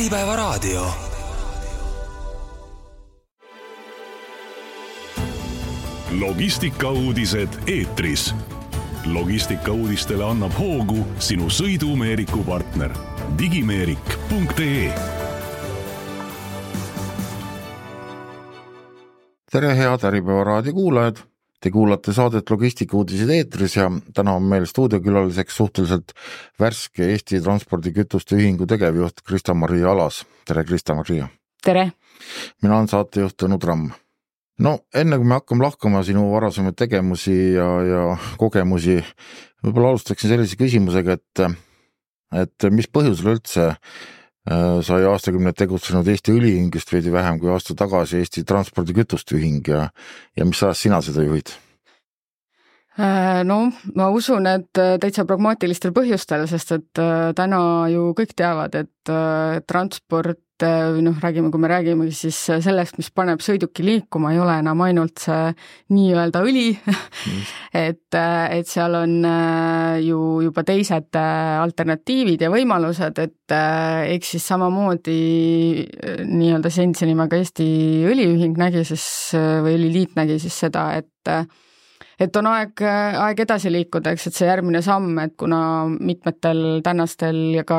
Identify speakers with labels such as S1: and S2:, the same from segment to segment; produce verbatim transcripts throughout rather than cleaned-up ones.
S1: Äripäevaraadio. Logistikauudised eetris. Logistikauudistele annab hoogu sinu sõidumeeriku partner digimeerik punkt ee.
S2: Tere head Äripäevaraadio kuulajad! Te kuulate saadet Logistikauudised eetris ja täna on meil stuudiokülaliseks suhteliselt värske Eesti Transpordikütuste Ühingu tegevjuht Krista-Maria Alas. Tere Krista-Maria!
S3: Tere!
S2: Mina olen saatejuht Tõnu Tramm. No enne kui me hakkame lahkama sinu varasemaid tegemusi ja, ja kogemusi, võib-olla alustaksin sellise küsimusega, et, et mis põhjusel üldse sai aastakümneid tegutsenud Eesti Õliühingust veidi vähem kui aasta tagasi Eesti Transpordikütuste Ühing ja, ja mis ajast sina seda juhid?
S3: No, ma usun, et täitsa pragmaatilistel põhjustel, sest et täna ju kõik teavad, et transport, noh, räägime, kui me räägime siis sellest, mis paneb sõiduki liikuma, ei ole enam ainult see nii-öelda õli, et, et seal on ju juba teised alternatiivid ja võimalused, et eks siis samamoodi nii-öelda senise nimega Eesti Õliühing nägi siis, või Õliliit nägi siis seda, et et on aeg, aeg edasi liikuda, eks, et see järgmine samm, et kuna mitmetel tänastel ja ka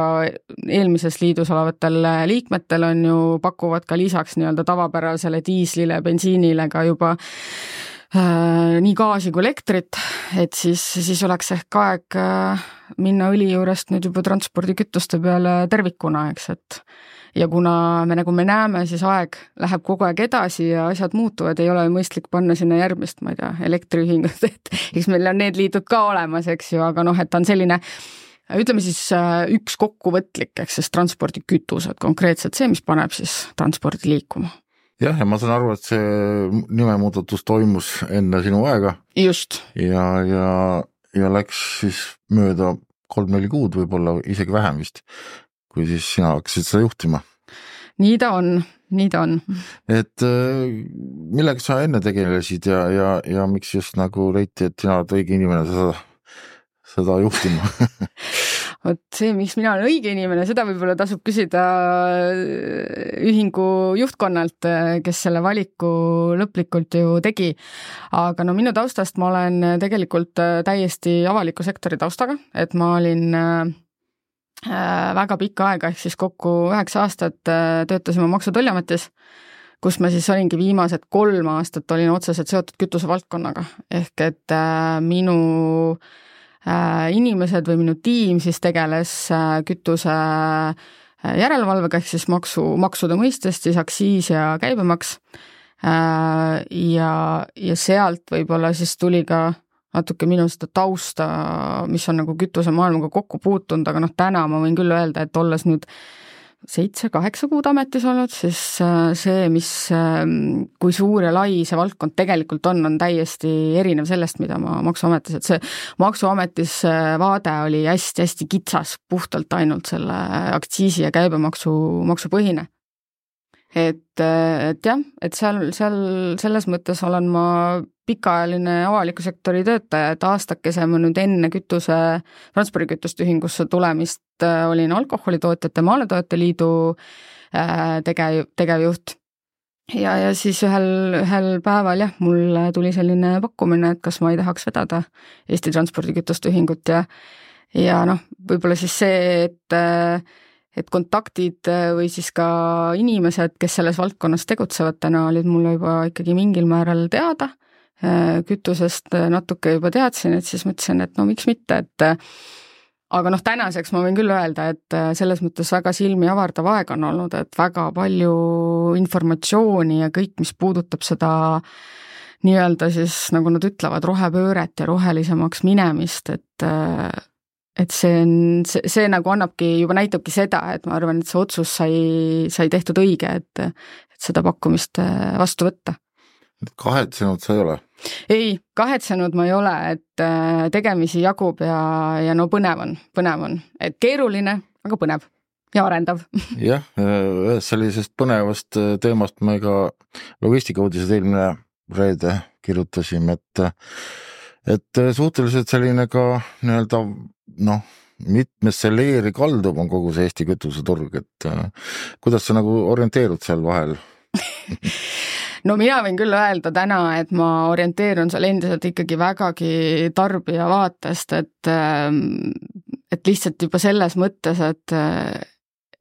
S3: eelmises liidus olevatel liikmetel on ju, pakuvad ka lisaks nii-öelda tavapärasele diislile, bensiinile ka juba äh, nii gaasi kui elektrit, et siis, siis oleks ehk aeg äh, minna õli juurest nüüd juba transpordikütuste peale tervikuna, eks, et ja kuna me nagu me näeme, siis aeg läheb kogu aeg edasi ja asjad muutuvad, ei ole mõistlik panna sinna järgmist, ma ei tea, elektriühingut, et eks meil on need liidud ka olemas, eks ju, aga noh, et on selline, ütleme siis üks kokkuvõtlik, eks siis transpordikütused, konkreetselt see, mis paneb siis transpordi liikuma.
S2: Jah, ja ma saan aru, et see nimemuudatus toimus enne sinu aega.
S3: Just.
S2: Ja, ja, ja läks siis mööda kolm-neli kuud, võib-olla isegi vähem vist, kui siis sina hakkasid seda juhtima.
S3: Nii ta on, nii ta on.
S2: Et millega sa enne tegelesid ja, ja, ja miks just nagu leiti, et sina oled õige inimene seda, seda juhtima?
S3: Vot see, miks mina olen õige inimene, seda võib-olla tasub küsida ühingu juhtkonnalt, kes selle valiku lõplikult ju tegi. Aga no minu taustast ma olen tegelikult täiesti avaliku sektori taustaga, et ma olin väga pikka aega, ehk siis kokku üheksa aastat töötasime Maksu- ja Tolliametis, kus ma siis olingi viimased kolm aastat olin otseselt seotud kütuse valdkonnaga. Ehk et minu inimesed või minu tiim siis tegeles kütuse järelevalvega, ehk siis maksu, maksude mõistest, siis aktsiis ja käibemaks. Ja, ja sealt võib-olla siis tuli ka natuke minu seda tausta, mis on nagu kütuse maailmaga kokku puutunud, aga noh, täna ma võin küll öelda, et olles nüüd seitse-kaheksa kuud ametis olnud, siis see, mis, kui suur ja lai see valdkond tegelikult on, on täiesti erinev sellest, mida ma Maksuametis, et see Maksuametis vaade oli hästi-hästi kitsas, puhtalt ainult selle aktsiisi ja käibemaksu maksupõhine. Et, et jah, et seal, seal selles mõttes olen ma pikaajaline avaliku sektori töötaja, et aastakese ma nüüd enne kütuse, transpordikütuste ühingusse tulemist olin alkoholitootjate Maaletoojate Liidu tegev, tegevjuht. Ja, ja siis ühel, ühel päeval jah, mul tuli selline pakkumine, et kas ma ei tahaks vedada Eesti Transpordikütuste Ühingut ja, ja noh, võib-olla siis see, et et kontaktid või siis ka inimesed, kes selles valdkonnas tegutsevad täna, olid mulle juba ikkagi mingil määral teada, kütusest natuke juba teadsin, et siis mõtlesin, et no miks mitte, et aga noh, tänaseks ma võin küll öelda, et selles mõttes väga silmi avardav aeg on olnud, et väga palju informatsiooni ja kõik, mis puudutab seda nii-öelda siis, nagu nad ütlevad, rohepööret ja rohelisemaks minemist, et et see, on, see, see nagu annabki, juba näitabki seda, et ma arvan, et see otsus sai, sai tehtud õige, et, et seda pakkumist vastu võtta.
S2: Kahetsenud sa ei ole?
S3: Ei, kahetsenud ma ei ole, et tegemisi jagub ja, ja no põnev on, põnev on. Et keeruline, aga põnev ja arendav.
S2: Jah, ühes sellisest põnevast teemast me ka Logistikauudised eelmine reede kirjutasime, et et suhteliselt selline ka nii-öelda noh, mitmesse leeri kaldub, on kogu see Eesti kütuseturg, et kuidas sa nagu orienteerud seal vahel?
S3: No mina võin küll öelda täna, et ma orienteerun seal endiselt ikkagi vägagi tarbija vaatest, et, et lihtsalt juba selles mõttes, et,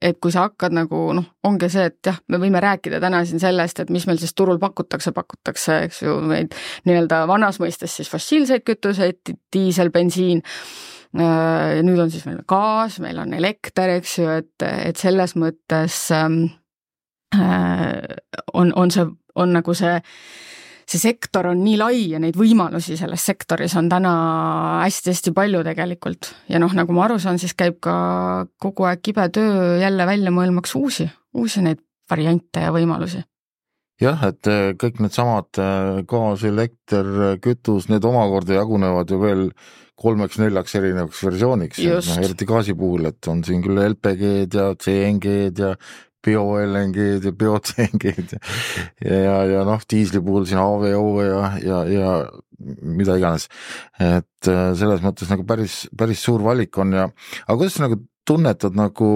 S3: et kui sa hakkad nagu, noh, ongi see, et jah, me võime rääkida täna siin sellest, et mis meil siis turul pakutakse, pakutakse, eks ju, meid nii-öelda vanas mõistes siis fossiilseid kütuseid, diisel, bensiin, ja nüüd on siis meil gaas, meil on elekter, eks ju, et, et selles mõttes on, on see on nagu see, see sektor on nii lai ja neid võimalusi selles sektoris on täna hästi-hästi palju tegelikult. Ja noh, nagu ma aru saan, siis käib ka kogu aeg kibe töö jälle välja mõelmaks uusi, uusi neid variante ja võimalusi.
S2: Jah, et kõik need samad gaas, elekter, kütus, need omakorda jagunevad ju veel kolmeks, neljaks erinevaks versiooniks. Eriti gaasi puhul, et on siin küll L P G-d ja C N G-d ja bio-L N G-d ja bio-C N G-d ja, ja, ja noh, diisli puhul siin A V O ja, ja, ja mida iganes. Et selles mõttes nagu päris, päris suur valik on ja, aga kuidas sa nagu tunnetad nagu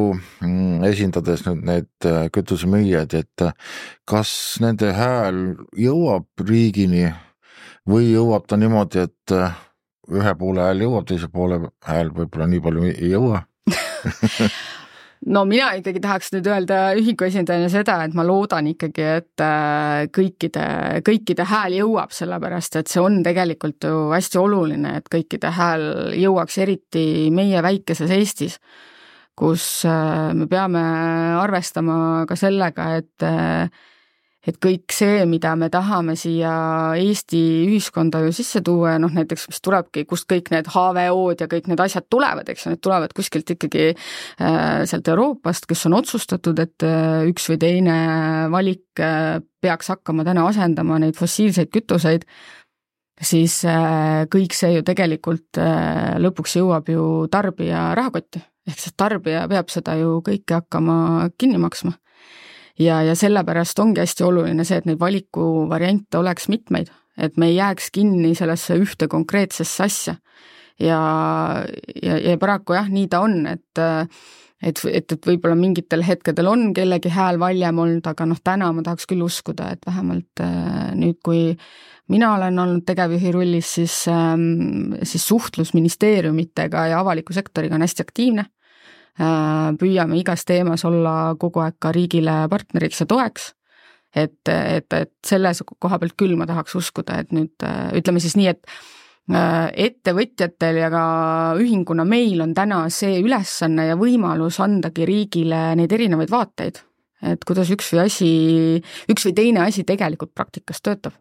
S2: esindades nüüd need kütusemüüjad, et kas nende hääl jõuab riigini või jõuab ta niimoodi, et ühe poole hääl jõuab, teise poole hääl võib-olla nii palju ei jõua?
S3: No mina ikkagi tahaks nüüd öelda ühiku esindajana seda, et ma loodan ikkagi, et kõikide, kõikide hääl jõuab, sellepärast, et see on tegelikult ju hästi oluline, et kõikide hääl jõuaks eriti meie väikeses Eestis, kus me peame arvestama ka sellega, et et kõik see, mida me tahame siia Eesti ühiskonda ju sisse tuua, noh näiteks, mis tulebki, kust kõik need H V O-d ja kõik need asjad tulevad, eks need tulevad kuskilt ikkagi äh, sealt Euroopast, kes on otsustatud, et äh, üks või teine valik äh, peaks hakkama täna asendama neid fossiilseid kütuseid, siis äh, kõik see ju tegelikult äh, lõpuks jõuab ju tarbija rahakotti, ehk siis tarbija peab seda ju kõike hakkama kinni maksma. Ja, ja sellepärast ongi hästi oluline see, et neid valikuvariante oleks mitmeid, et me ei jääks kinni sellesse ühte konkreetsesse asja. Ja, ja, ja paraku jah, nii ta on, et, et, et, et võib-olla mingitel hetkedel on kellegi hääl valjem olnud, aga noh, täna ma tahaks küll uskuda, et vähemalt nüüd, kui mina olen olnud tegevjuhi rollis, siis, siis suhtlus ministeeriumitega ja avaliku sektoriga on hästi aktiivne. Püüame igas teemas olla kogu aeg ka riigile partneriks ja toeks, et, et, et selles koha pealt küll ma tahaks uskuda, et nüüd ütleme siis nii, et ettevõtjatel ja ka ühinguna meil on täna see ülesanne ja võimalus andagi riigile neid erinevaid vaateid, et kuidas üks või asi, üks või teine asi tegelikult praktikas töötab.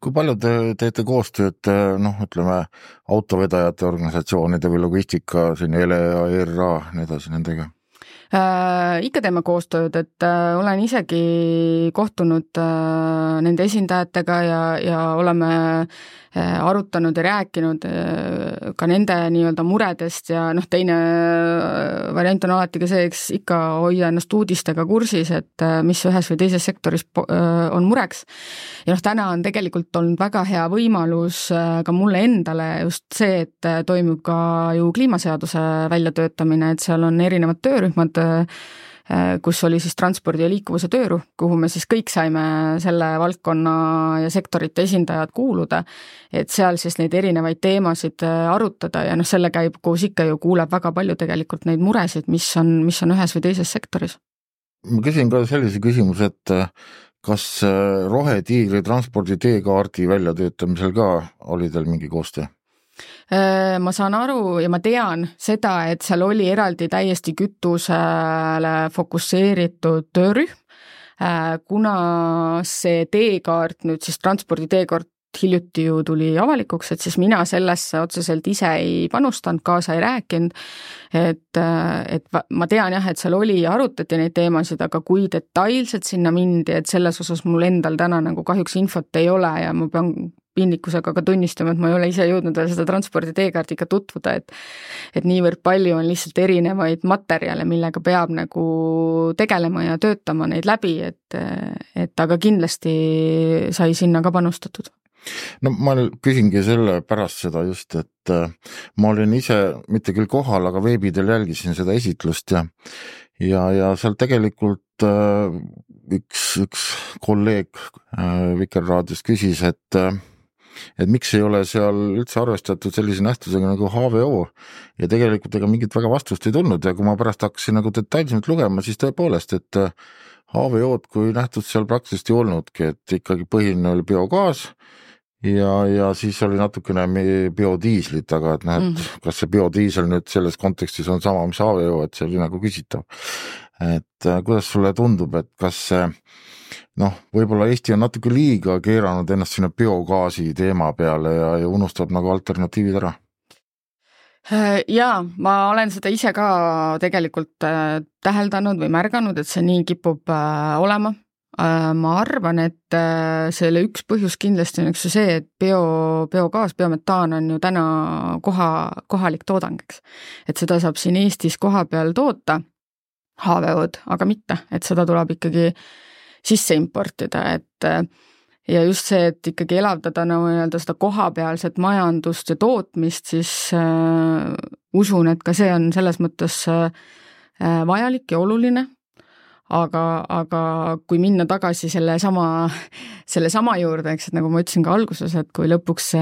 S2: Kui palju te teete koostööd, noh, ütleme, autovedajate organisatsioonide või logistika, siin L E A, E R A, nii edasi nendega?
S3: Äh, ikka teeme koostööd, et äh, olen isegi kohtunud äh, nende esindajatega ja, ja oleme äh, arutanud ja rääkinud äh, ka nende nii-öelda muredest ja noh, teine äh, variant on alati ka see, eks ikka hoida ennast uudistega kursis, et äh, mis ühes või teises sektoris äh, on mureks. Ja noh, täna on tegelikult olnud väga hea võimalus äh, ka mulle endale just see, et äh, toimub ka ju kliimaseaduse väljatöötamine, et seal on erinevad töörühmad, kus oli siis transpordi ja liikuvuse töörühm, kuhu me siis kõik saime selle valdkonna ja sektorite esindajad kuuluda, et seal siis neid erinevaid teemasid arutada ja noh, selle käib koos ikka ju kuuleb väga palju tegelikult neid muresid, mis on, mis on ühes või teises sektoris.
S2: Ma küsin ka sellise küsimuse, et kas rohetiigri transpordi teekaardi väljatöötamisel ka oli teil mingi koostöö?
S3: Ma saan aru ja ma tean seda, et seal oli eraldi täiesti kütusele fokusseeritud töörühm, kuna see teekaart, nüüd siis transpordi teekaart hiljuti ju tuli avalikuks, et siis mina sellesse otseselt ise ei panustanud, kaasa ei rääkinud, et, et ma tean jah, et seal oli ja arutati neid teemasid, aga kui detailselt sinna mindi, et selles osas mul endal täna nagu kahjuks infot ei ole ja ma pean piinlikkusega ka tunnistama, et ma ei ole ise jõudnud veel seda transpordi teekaardiga tutvuda, et et niivõrd palju on lihtsalt erinevaid materjale, millega peab nagu tegelema ja töötama neid läbi, et, et aga kindlasti sai sinna ka panustatud.
S2: no ma küsingi selle pärast seda just, et ma olin ise mitte küll kohal, aga veebidel jälgisin seda esitlust ja ja, ja seal tegelikult üks, üks kolleeg Vikerraadios küsis, et et miks ei ole seal üldse arvestatud sellise nähtusega nagu H V O ja tegelikult ega mingit väga vastust ei tulnud ja kui ma pärast hakkasin nagu detailsemalt lugema, siis tõepoolest, et H V O-d kui nähtud seal praktiliselt ei olnudki, et ikkagi põhiline oli biogaas ja, ja siis oli natukene biodiislit, aga et noh, et mm. kas see biodiisel nüüd selles kontekstis on sama, mis H V O, et see oli nagu küsitav. Et kuidas sulle tundub, et kas see noh, võib-olla Eesti on natuke liiga keeranud ennast sinna biogaasi teema peale ja, ja unustab nagu alternatiivid ära?
S3: Jaa, ma olen seda ise ka tegelikult täheldanud või märganud, et see nii kipub olema. Ma arvan, et selle üks põhjus kindlasti on üks see, et bio, biogaas, biometaan on ju täna koha, kohalik toodang, eks. Et seda saab siin Eestis koha peal toota, H V O-d, aga mitte, et seda tuleb ikkagi sisse importida, et ja just see, et ikkagi elavdada nagu nii-öelda seda kohapealset majandust ja tootmist, siis äh, usun, et ka see on selles mõttes äh, vajalik ja oluline, aga, aga kui minna tagasi selle sama, selle sama juurde, eks, et nagu ma ütlesin ka alguses, et kui lõpuks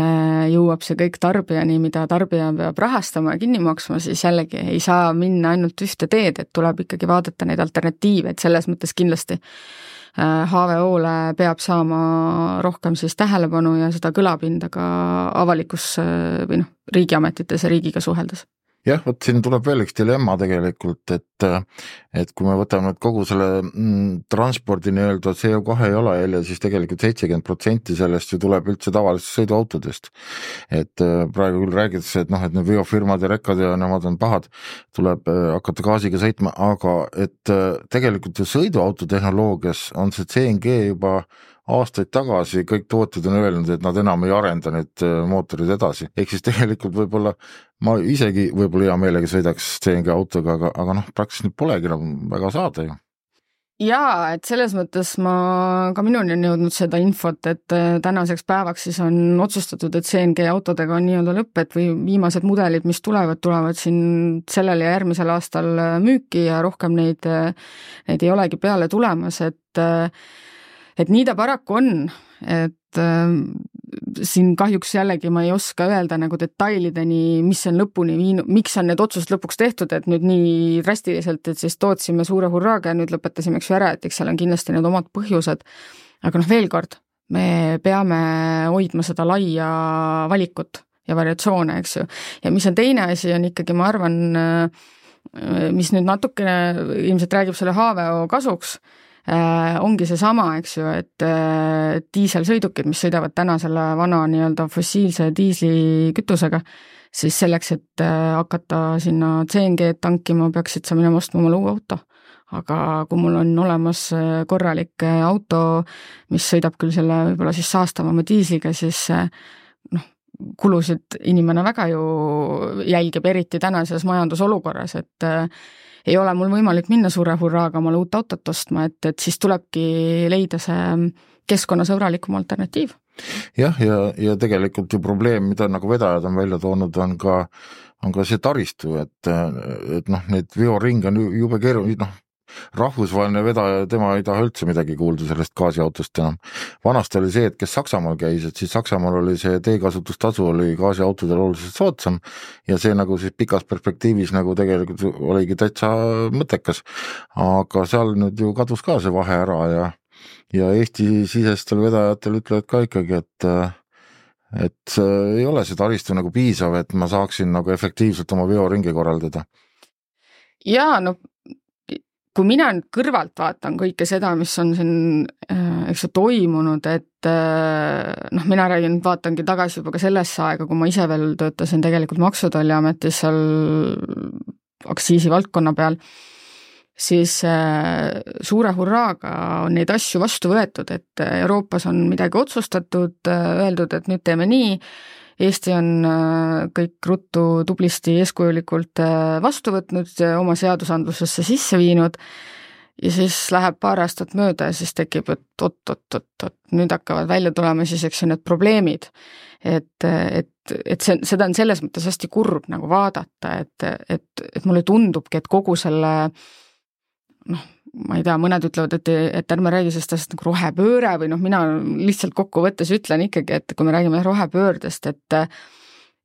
S3: jõuab see kõik tarbijani, mida tarbija peab rahastama ja kinni maksma, siis jällegi ei saa minna ainult ühte teed, et tuleb ikkagi vaadata neid alternatiive, et selles mõttes kindlasti H V O-le peab saama rohkem siis tähelepanu ja seda kõlapinda ka avalikus või noh, riigiametites ja riigiga suheldes.
S2: Jah, võt siin tuleb veel üks dilemma tegelikult, et, et kui me võtame kogu selle mm, transpordi nii-öelda C O kahe jalajälje, siis tegelikult seitsekümmend protsenti sellest ju tuleb üldse tavalisest sõiduautodest. Et praegu küll räägitakse, et noh, et need veofirmad ja rekkad ja nemad on pahad, tuleb hakata gaasiga sõitma, aga et tegelikult ju sõiduauto tehnoloogias on see C N G juba aastaid tagasi kõik tootjad on öelnud, et nad enam ei arenda need mootorid edasi. Ehk siis tegelikult võib-olla ma isegi võib-olla hea meelega sõidaks C N G autoga, aga, aga noh, praktiliselt nüüd polegi enam väga saada ju.
S3: Jaa, et selles mõttes ma, ka minuni on jõudnud seda infot, et tänaseks päevaks siis on otsustatud, et C N G autodega on nii-öelda lõpp, et või viimased mudelid, mis tulevad, tulevad siin sellel ja järgmisel aastal müüki ja rohkem neid, neid ei olegi peale tulemas, et et nii ta paraku on, et äh, siin kahjuks jällegi ma ei oska öelda nagu detailideni, mis on lõpuni viinud, miks on need otsused lõpuks tehtud, et nüüd nii drastiliselt, et siis tootsime suure hurraaga ja nüüd lõpetasime eks ju ära, et eks seal on kindlasti need omad põhjused. Aga noh, veel kord, me peame hoidma seda laia valikut ja variatsioone, eks ju. Ja mis on teine asi, on ikkagi, ma arvan, mis nüüd natukene ilmselt räägib selle H V O kasuks, Äh, ongi see sama, eks ju, et äh, diiselsõidukid, mis sõidavad täna selle vana nii-öelda fossiilse diislikütusega, siis selleks, et äh, hakata sinna C N G tankima, peaksid sa minema ostma oma uue auto. Aga kui mul on olemas korralik auto, mis sõidab küll selle võib-olla siis saastavama diisliga, siis äh, noh, kulusid inimene väga ju jälgib, eriti tänases majandusolukorras, et äh, ei ole mul võimalik minna suure hurraaga omale uut autot ostma, et, et siis tulebki leida see keskkonnasõbralikum alternatiiv.
S2: Jah, ja, ja tegelikult ju probleem, mida nagu vedajad on välja toonud, on ka, on ka see taristu, et, et noh, need veoring on jube keeruline, noh, rahvusvaheline vedaja, tema ei taha üldse midagi kuulda sellest gaasiautost enam. Vanasti oli see, et kes Saksamaal käis, et siis Saksamaal oli see teekasutustasu oli gaasiautodel oluliselt soodsam ja see nagu siis pikas perspektiivis nagu tegelikult oligi täitsa mõttekas. Aga seal nüüd ju kadus ka see vahe ära ja, ja Eesti sisestel vedajatel ütlevad ka ikkagi, et et ei ole see taristu nagu piisav, et ma saaksin nagu efektiivselt oma veoringi korraldada.
S3: Jaa, no kui mina nüüd kõrvalt vaatan kõike seda, mis on siin eks ju toimunud, et noh, mina räägin, vaatangi tagasi juba ka sellesse aega, kui ma ise veel töötasin tegelikult Maksutolliametis seal aktsiisi valdkonna peal, siis suure hurraaga on neid asju vastu võetud, et Euroopas on midagi otsustatud, öeldud, et nüüd teeme nii, Eesti on kõik ruttu tublisti eeskujulikult vastu võtnud, oma seadusandlusesse sisse viinud ja siis läheb paar aastat mööda ja siis tekib, et oot, oot, oot, oot, nüüd hakkavad välja tulema siis, eks ju, need probleemid. Et, et, et see, seda on selles mõttes hästi kurb nagu vaadata, et, et, et mulle tundubki, et kogu selle, noh, ma ei tea, mõned ütlevad, et, et ärme räägi sellest asjast nagu rohepööre või noh, mina lihtsalt kokkuvõttes ütlen ikkagi, et kui me räägime rohepöördest, et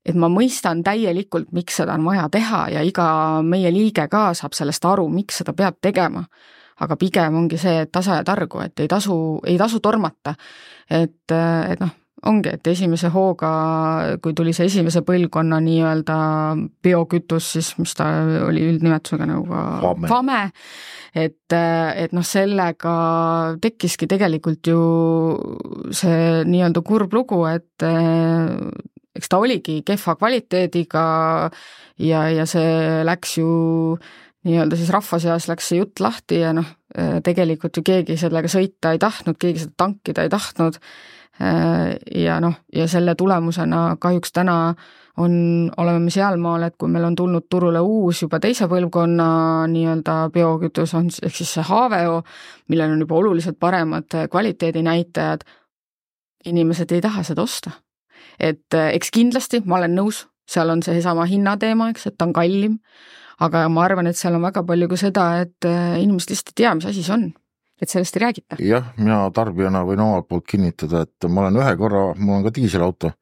S3: et ma mõistan täielikult, miks seda on vaja teha ja iga meie liige ka saab sellest aru, miks seda peab tegema. Aga pigem ongi see, et tasa ja targu, et ei tasu, ei tasu tormata. Et, et noh, ongi, et esimese hooga, kui tuli see esimese põlvkonna nii-öelda biokütus, siis mis ta oli üldnimetusega nagu
S2: Fame.
S3: Fame, et, et noh, sellega tekkiski tegelikult ju see nii-öelda kurb lugu, et eks ta oligi kehva kvaliteediga ja, ja see läks ju nii-öelda siis rahva seas läks see jutt lahti ja noh, tegelikult ju keegi sellega sõita ei tahtnud, keegi seda tankida ei tahtnud ja noh, ja selle tulemusena kahjuks täna on, oleme me sealmaal, et kui meil on tulnud turule uus juba teise põlvkonna nii-öelda biokütus, on ehk siis see H V O, millel on juba oluliselt paremad kvaliteedinäitajad, inimesed ei taha seda osta. Et eks kindlasti, ma olen nõus, seal on see sama hinnateema, eks, et ta on kallim, aga ma arvan, et seal on väga palju ka seda, et inimesed lihtsalt ei tea, mis asi see on, et sellest ei räägita.
S2: Jah, mina tarbijana võin omalt poolt kinnitada, et ma olen ühe korra, mul on ka diiselauto,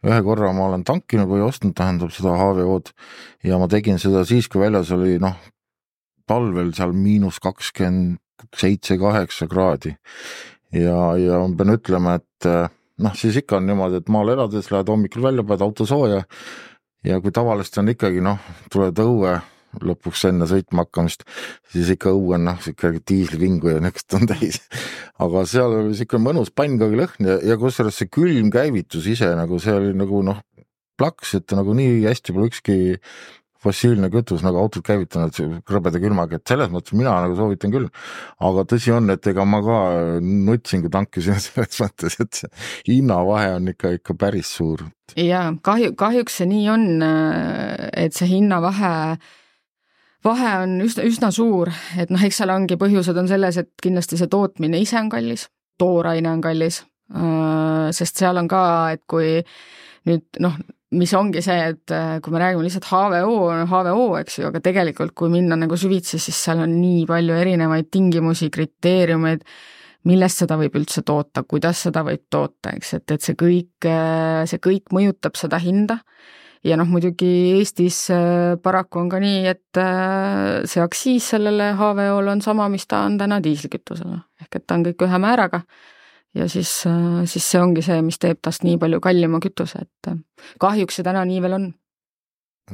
S2: ühe korra ma olen tankinud või ostnud, tähendab seda H V O-d ja ma tegin seda siis, kui väljas oli noh, talvel seal miinus kakskümmend seitse kaheksa kraadi ja, ja ma pean ütlema, et noh, siis ikka on niimoodi, et maal elades lähed hommikul välja, paned auto sooja ja kui tavaliselt on ikkagi, noh, tuled õue lõpuks enne sõitma hakkamist, siis ikka õue on, noh, ikkagi diislivingu ja nekast on täis. Aga seal oli ikka mõnus pannkagi lõhn ja, ja kusjuures see külm käivitus ise, nagu see oli nagu, noh, plaks, et nagu nii hästi pole ükski fossiilne kütus nagu autod käivitanud krõbeda külmaga, et selles mõttes mina nagu soovitan küll, aga tõsi on, et ega ma ka nutsin, kui tankisin selles mõttes, et see hinnavahe on ikka, ikka päris suur.
S3: Ja kahju, kahjuks see nii on, et see hinnavahe vahe on üsna, üsna suur, et noh, eks seal ongi põhjused on selles, et kindlasti see tootmine ise on kallis, tooraine on kallis, sest seal on ka, et kui nüüd noh, mis ongi see, et kui me räägime lihtsalt H V O, H V O, eks ju, aga tegelikult kui minna nagu süvitsi, siis seal on nii palju erinevaid tingimusi, kriteeriumeid, millest seda võib üldse toota, kuidas seda võib toota, eks, et, et see kõik, see kõik mõjutab seda hinda ja noh, muidugi Eestis paraku on ka nii, et see aksiis sellele H V O-le on sama, mis ta on täna diislikütusele, ehk et ta on kõik ühe määraga. Ja siis, siis see ongi see, mis teeb tast nii palju kallima kütuse, et kahjuks see täna nii veel on.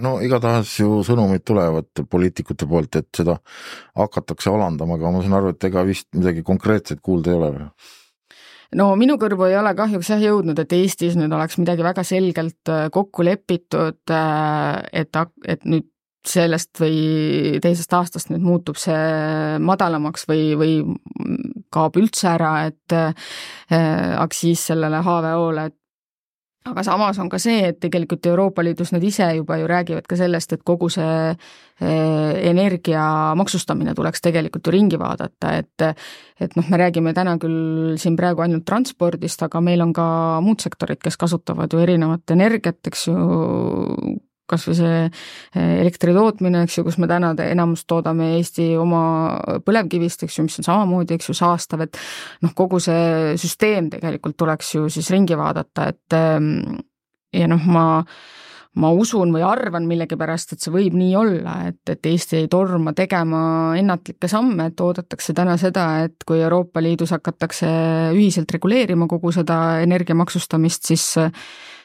S2: No igatahes ju sõnumid tulevad poliitikute poolt, et seda hakatakse alandama, aga ma saan aru, et ega vist midagi konkreetset kuulda ei ole.
S3: No minu kõrvu ei ole kahjuks jah jõudnud, et Eestis nüüd oleks midagi väga selgelt kokku lepitud, et, et nüüd sellest või teisest aastast nüüd muutub see madalamaks või, või kaob üldse ära, et äh, aksiis sellele H V O-le. Aga samas on ka see, et tegelikult Euroopa Liidus nad ise juba ju räägivad ka sellest, et kogu see äh, energia maksustamine tuleks tegelikult ju ringi vaadata, et, et noh, me räägime täna küll siin praegu ainult transpordist, aga meil on ka muud sektorid, kes kasutavad ju erinevat energiat, eks ju, kas või see elektri tootmine, eks ju, kus me täna enamus toodame Eesti oma põlevkivist, eks ju, mis on samamoodi, eks ju, saastav, et noh, kogu see süsteem tegelikult tuleks ju siis ringi vaadata, et ja noh, ma, ma usun või arvan millegipärast, et see võib nii olla, et, et Eesti ei torma tegema ennatlikke samme, et oodatakse täna seda, et kui Euroopa Liidus hakatakse ühiselt reguleerima kogu seda energiamaksustamist, siis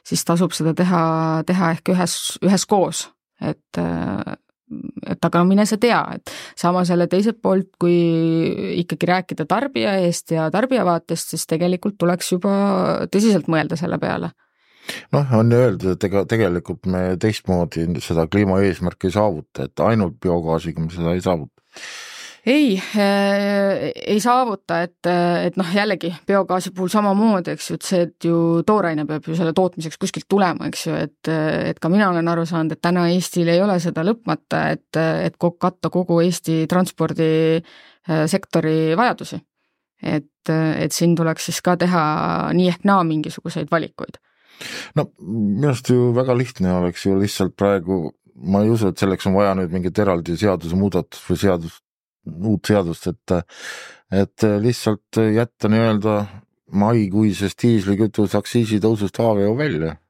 S3: siis tasub seda teha, teha ehk ühes, ühes koos, et, et aga mine sa tea, et samas jälle teiselt poolt, kui ikkagi rääkida tarbija eest ja tarbija vaatest, siis tegelikult tuleks juba tõsiselt mõelda selle peale.
S2: Noh, on ju öeldud, et ega tegelikult me teistmoodi seda kliimaeesmärki ei saavuta, et ainult biogaasiga me seda ei saavuta.
S3: ei, ei saavuta, et, et noh, jällegi biogaasi puhul samamoodi, eks ju, et see, et ju tooraine peab ju selle tootmiseks kuskilt tulema, eks ju, et, et ka mina olen aru saanud, et täna Eestil ei ole seda lõpmata, et, et katta kogu Eesti transpordisektori vajadusi. Et, et siin tuleks siis ka teha nii ehk naa mingisuguseid valikuid.
S2: No minust ju väga lihtne oleks ju lihtsalt praegu, ma ei usu, et selleks on vaja nüüd mingit eraldi seaduse muudatust või seadust, uut seadust, et, et lihtsalt jätta nii-öelda maikuisest diislikütuse aktsiisi tõusust H V O välja.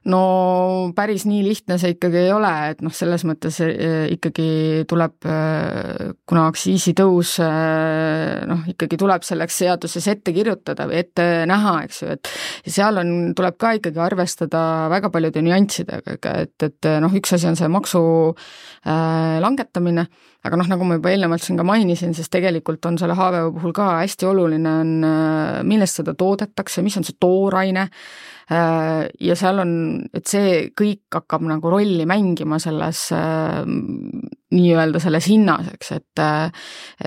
S3: No päris nii lihtne see ikkagi ei ole, et noh, selles mõttes ikkagi tuleb, kuna aktsiisitõus noh, ikkagi tuleb selleks seaduses ette kirjutada või ette näha, eks ju, et seal on, tuleb ka ikkagi arvestada väga paljude nüanssidega, et, et noh, üks asi on see maksu äh, langetamine, aga noh, nagu ma juba eelnevalt siin ka mainisin, siis tegelikult on selle H V O puhul ka hästi oluline on, millest seda toodetakse, mis on see tooraine, ja seal on, et see kõik hakkab nagu rolli mängima selles nii-öelda selles hinnas, eks, et,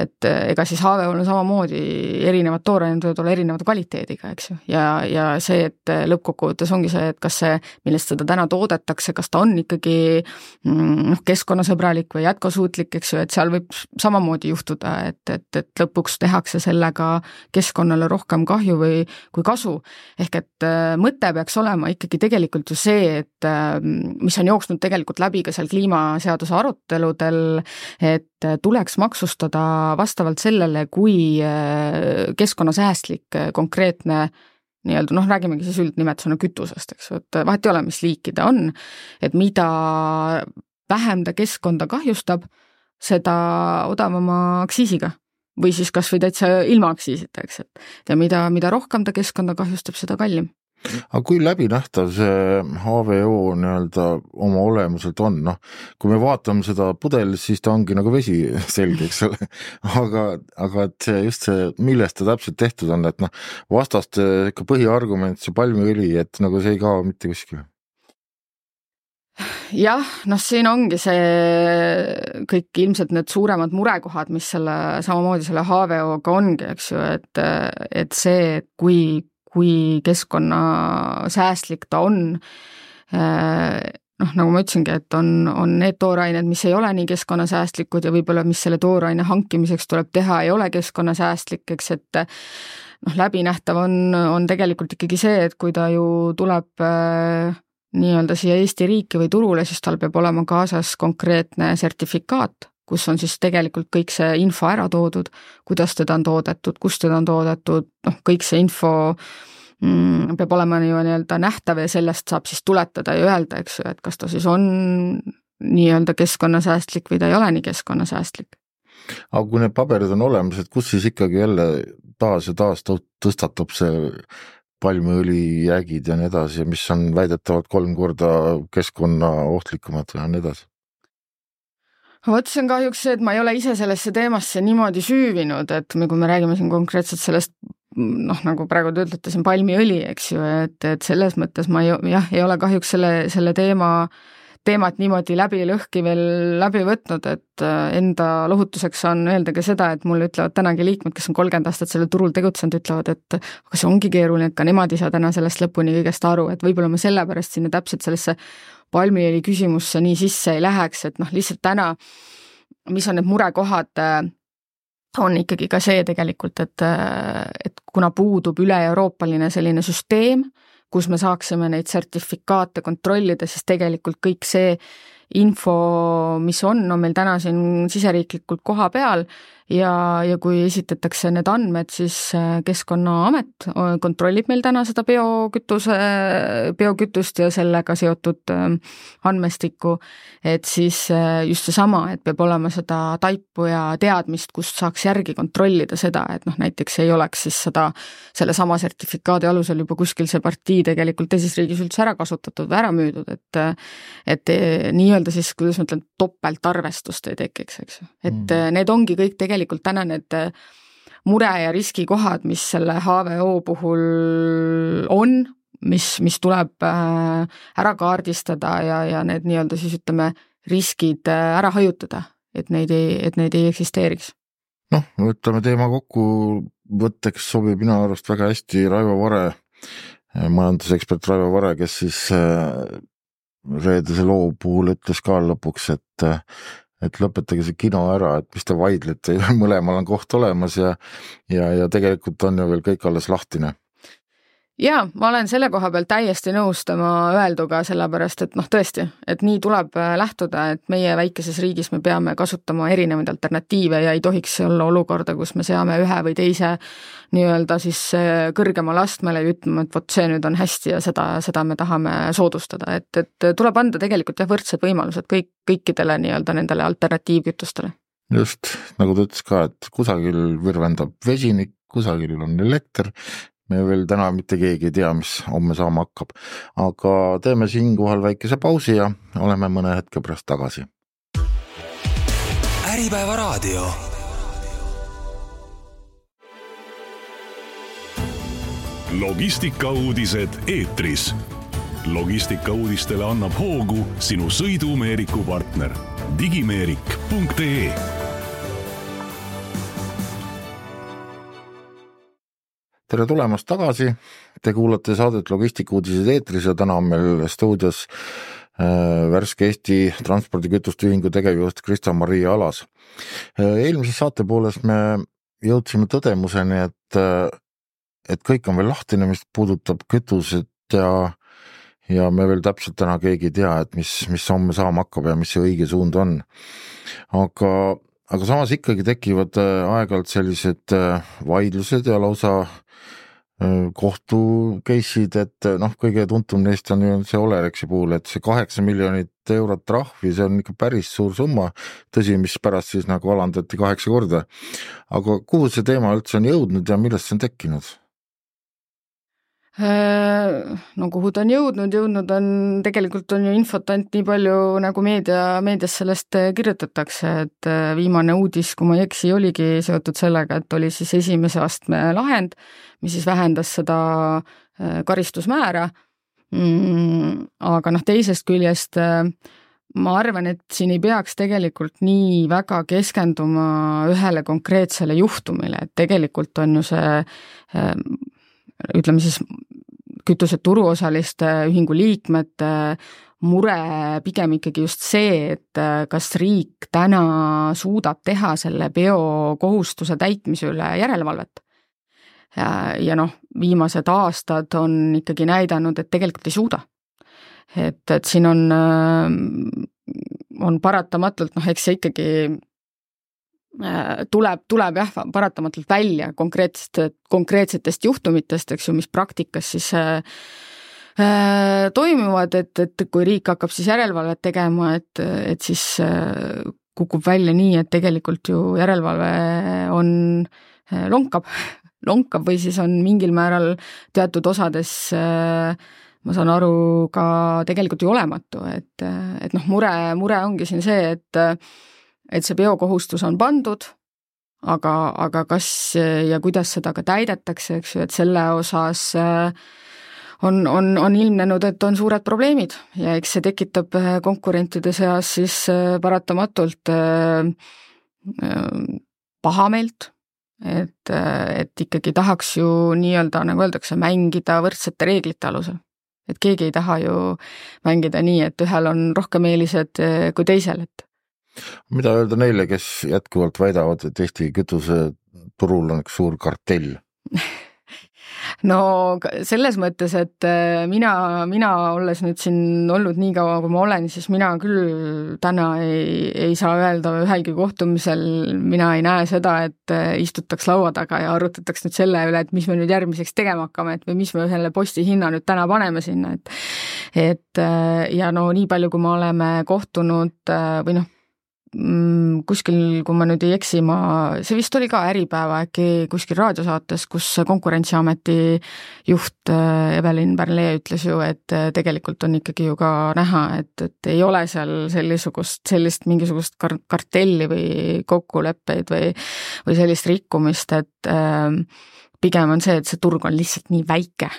S3: et ega siis H V O-l on samamoodi erinevad toorained võivad olla erinevate kvaliteediga, eks ju, ja, ja see, et lõppkokkuvõttes ongi see, et kas see, millest seda täna toodetakse, kas ta on ikkagi noh, keskkonnasõbralik või jätkusuutlik, eks ju, et seal võib samamoodi juhtuda, et, et, et lõpuks tehakse sellega keskkonnale rohkem kahju või kui kasu, ehk et mõte peaks olema ikkagi tegelikult ju see, et mis on jooksnud tegelikult läbi ka seal kliimaseaduse aruteludel, et tuleks maksustada vastavalt sellele, kui keskkonnasäästlik konkreetne nii-öelda, noh, räägimegi siis üldnimetusena kütusest, eks ju, et vahet ei ole, mis liiki ta on, et mida vähem ta keskkonda kahjustab, seda odavama aktsiisiga või siis kas või täitsa ilma aktsiisita, eks, et ja mida, mida rohkem ta keskkonda kahjustab, seda kallim.
S2: Aga kui läbinähtav see H V O nii-öelda oma olemuselt on, noh, kui me vaatame seda pudelit, siis ta ongi nagu vesi selge, eks ole, aga, aga et see, just see, millest ta täpselt tehtud on, et noh, vastaste ikka põhiargument, see palmiõli, et nagu see ei kao mitte kuskile.
S3: Jah, noh, siin ongi see kõik ilmselt need suuremad murekohad, mis selle, samamoodi selle H V O-ga ongi, eks ju, et, et see, kui kui keskkonnasäästlik ta on, noh, nagu ma ütlesingi, et on, on need toorained, mis ei ole nii keskkonnasäästlikud ja võib-olla, mis selle tooraine hankimiseks tuleb teha, ei ole keskkonnasäästlik, eks, et noh, läbinähtav on, on tegelikult ikkagi see, et kui ta ju tuleb nii-öelda siia Eesti riiki või turule, siis tal peab olema kaasas konkreetne sertifikaat, kus on siis tegelikult kõik see info ära toodud, kuidas teda on toodetud, kus teda on toodetud, noh, kõik see info mm, peab olema nii-öelda nähtav ja sellest saab siis tuletada ja öelda, eks ju, et kas ta siis on nii-öelda keskkonnasäästlik või ta ei ole nii keskkonnasäästlik.
S2: Aga kui need paberid on olemas, et kus siis ikkagi jälle taas ja taas tõstatab see palmiõli jäägid ja nii edasi, mis on väidetavalt kolm korda keskkonna ohtlikumad ja nii edasi?
S3: Vot see on kahjuks see, et ma ei ole ise sellesse teemasse niimoodi süüvinud, et kui me räägime siin konkreetselt sellest, noh, nagu praegu te ütlete siin palmiõli, eks ju, et, et selles mõttes ma ei, jah, ei ole kahjuks selle, selle teema, teemat niimoodi läbi lõhki veel läbi võtnud, et enda lohutuseks on öelda ka seda, et mulle ütlevad tänagi liikmed, kes on kolmkümmend aastat selle turul tegutsenud, ütlevad, et aga see ongi keeruline, et ka nemad ei saa täna sellest lõpuni kõigest aru, et võib-olla ma sellepärast sinna täpselt sellesse palmiõli küsimusse nii sisse ei läheks, et noh, lihtsalt täna, mis on need murekohad, on ikkagi ka see tegelikult, et, et kuna puudub üle-euroopaline selline süsteem, kus me saaksime neid sertifikaate kontrollida, siis tegelikult kõik see info, mis on, on meil täna siin siseriiklikult koha peal ja, ja kui esitatakse need andmed, siis Keskkonnaamet kontrollib meil täna seda biokütuse, biokütust ja sellega seotud andmestikku, et siis just seesama, et peab olema seda taipu ja teadmist, kust saaks järgi kontrollida seda, et noh, näiteks ei oleks siis seda, selle sama sertifikaadi alusel juba kuskil see partii tegelikult teises riigis üldse ära kasutatud või ära müüdud, et, et nii-öelda siis, kuidas ma ütlen, topeltarvestust ei tekiks, eks ju. Et mm. need ongi kõik tegelikult tegelikult täna need mure ja riskikohad, mis selle H V O puhul on, mis, mis tuleb ära kaardistada ja, ja need nii-öelda siis ütleme riskid ära hajutada et neid ei, et neid ei eksisteeriks.
S2: Noh, võtame teema kokku, võtteks sobib minu arust väga hästi Raivo Vare, majandusekspert Raivo Vare, kes siis reedese loo puhul ütles ka lõpuks, et, et lõpetage see kino ära, et mis te vaidlete, mõlemal on koht olemas ja, ja, ja tegelikult on ju veel kõik alles lahtine.
S3: Jaa, ma olen selle koha peal täiesti nõus tema öelduga, sellepärast, et noh tõesti, et nii tuleb lähtuda, et meie väikeses riigis me peame kasutama erinevaid alternatiive ja ei tohiks olla olukorda, kus me seame ühe või teise nii-öelda siis kõrgemal astmele ja ütleme, et vot see nüüd on hästi ja seda, seda me tahame soodustada, et, et tuleb anda tegelikult jah, võrdsed võimalused kõik, kõikidele nii-öelda nendele alternatiivkütustele.
S2: Just, nagu ta ütles ka, et kusagil virvendab vesinik, kusagil on elekter, me veel täna mitte keegi ei tea, mis homme saama hakkab, aga teeme siinkohal väikese pausi ja oleme mõne hetke pärast tagasi.
S1: Äripäeva raadio. Logistikauudised eetris. Logistikauudistele annab hoogu sinu sõidumeeriku partner digimeerik punkt ee.
S2: Tere tulemast tagasi, te kuulate saadet Logistikauudised eetris ja täna on meil stuudios äh, värske Eesti transpordikütuste ühingu tegevjuht Krista-Maria Alas. Äh, eelmises saate pooles me jõudsime tõdemuseni, et, et kõik on veel lahtine, mis puudutab kütuset ja, ja me veel täpselt täna keegi ei tea, et mis, mis homme saama hakkab ja mis see õige suund on. Aga, aga samas ikkagi tekivad aeg-ajalt sellised vaidlused ja lausa kohtu case'id, et noh, kõige tuntum neist on ju see Olerexi puhul, et see kaheksa miljonit eurot trahvi, see on ikka päris suur summa, tõsi, mis pärast siis nagu alandati kaheksa korda. Aga kuhu see teema üldse on jõudnud ja millest see on tekkinud?
S3: No kuhu ta on jõudnud, jõudnud on, tegelikult on ju infot ainult nii palju, nagu meedia, meedias sellest kirjutatakse, et viimane uudis, kui ma ei eksi, oligi seotud sellega, et oli siis esimese astme lahend, mis siis vähendas seda karistusmäära, aga noh, teisest küljest ma arvan, et siin ei peaks tegelikult nii väga keskenduma ühele konkreetsele juhtumile, et tegelikult on ju see ütleme siis kütuse turuosaliste ühingu liikmete mure pigem ikkagi just see, et kas riik täna suudab teha selle biokohustuse täitmise üle järelevalvet. Ja, ja noh, viimased aastad on ikkagi näidanud, et tegelikult ei suuda. Et, et siin on, on paratamatult, noh, eks see ikkagi tuleb, tuleb jah, paratamatult välja konkreetsetest, konkreetsetest juhtumitest, eks ju, mis praktikas siis äh, toimuvad, et, et kui riik hakkab siis järelevalvet tegema, et, et siis äh, kukub välja nii, et tegelikult ju järelevalve on äh, lonkab, lonkab või siis on mingil määral teatud osades äh, ma saan aru ka tegelikult ju olematu, et, et noh, mure, mure ongi siin see, et et see biokohustus on pandud, aga, aga kas ja kuidas seda ka täidetakse, eks ju, et selle osas on, on, on ilmnenud, et on suured probleemid ja eks see tekitab konkurentide seas siis paratamatult pahameelt, et, et ikkagi tahaks ju nii-öelda, nagu öeldakse, mängida võrdsete reeglite alusel. Et keegi ei taha ju mängida nii, et ühel on rohkem eelised kui teisel, et
S2: mida öelda neile, kes jätkuvalt väidavad, et Eesti kütuse turul on üks suur kartell?
S3: No selles mõttes, et mina, mina olles nüüd siin olnud nii kaua, kui ma olen, siis mina küll täna ei, ei saa öelda ühelgi kohtumisel, mina ei näe seda, et istutaks laua taga ja arutataks nüüd selle üle, et mis me nüüd järgmiseks tegema hakkame, et või mis me ühele posti hinna nüüd täna paneme sinna, et, et ja no nii palju, kui me oleme kohtunud või noh, kuskil, kui ma nüüd ei eksi, ma, see vist oli ka Äripäeva äkki kuskil raadiosaates, kus Konkurentsiameti juht Evelin Pärlee ütles ju, et tegelikult on ikkagi ju ka näha, et, et ei ole seal sellisugust, sellist mingisugust kartelli või kokkuleppeid või, või sellist rikkumist, et äh, pigem on see, et see turg on lihtsalt nii väike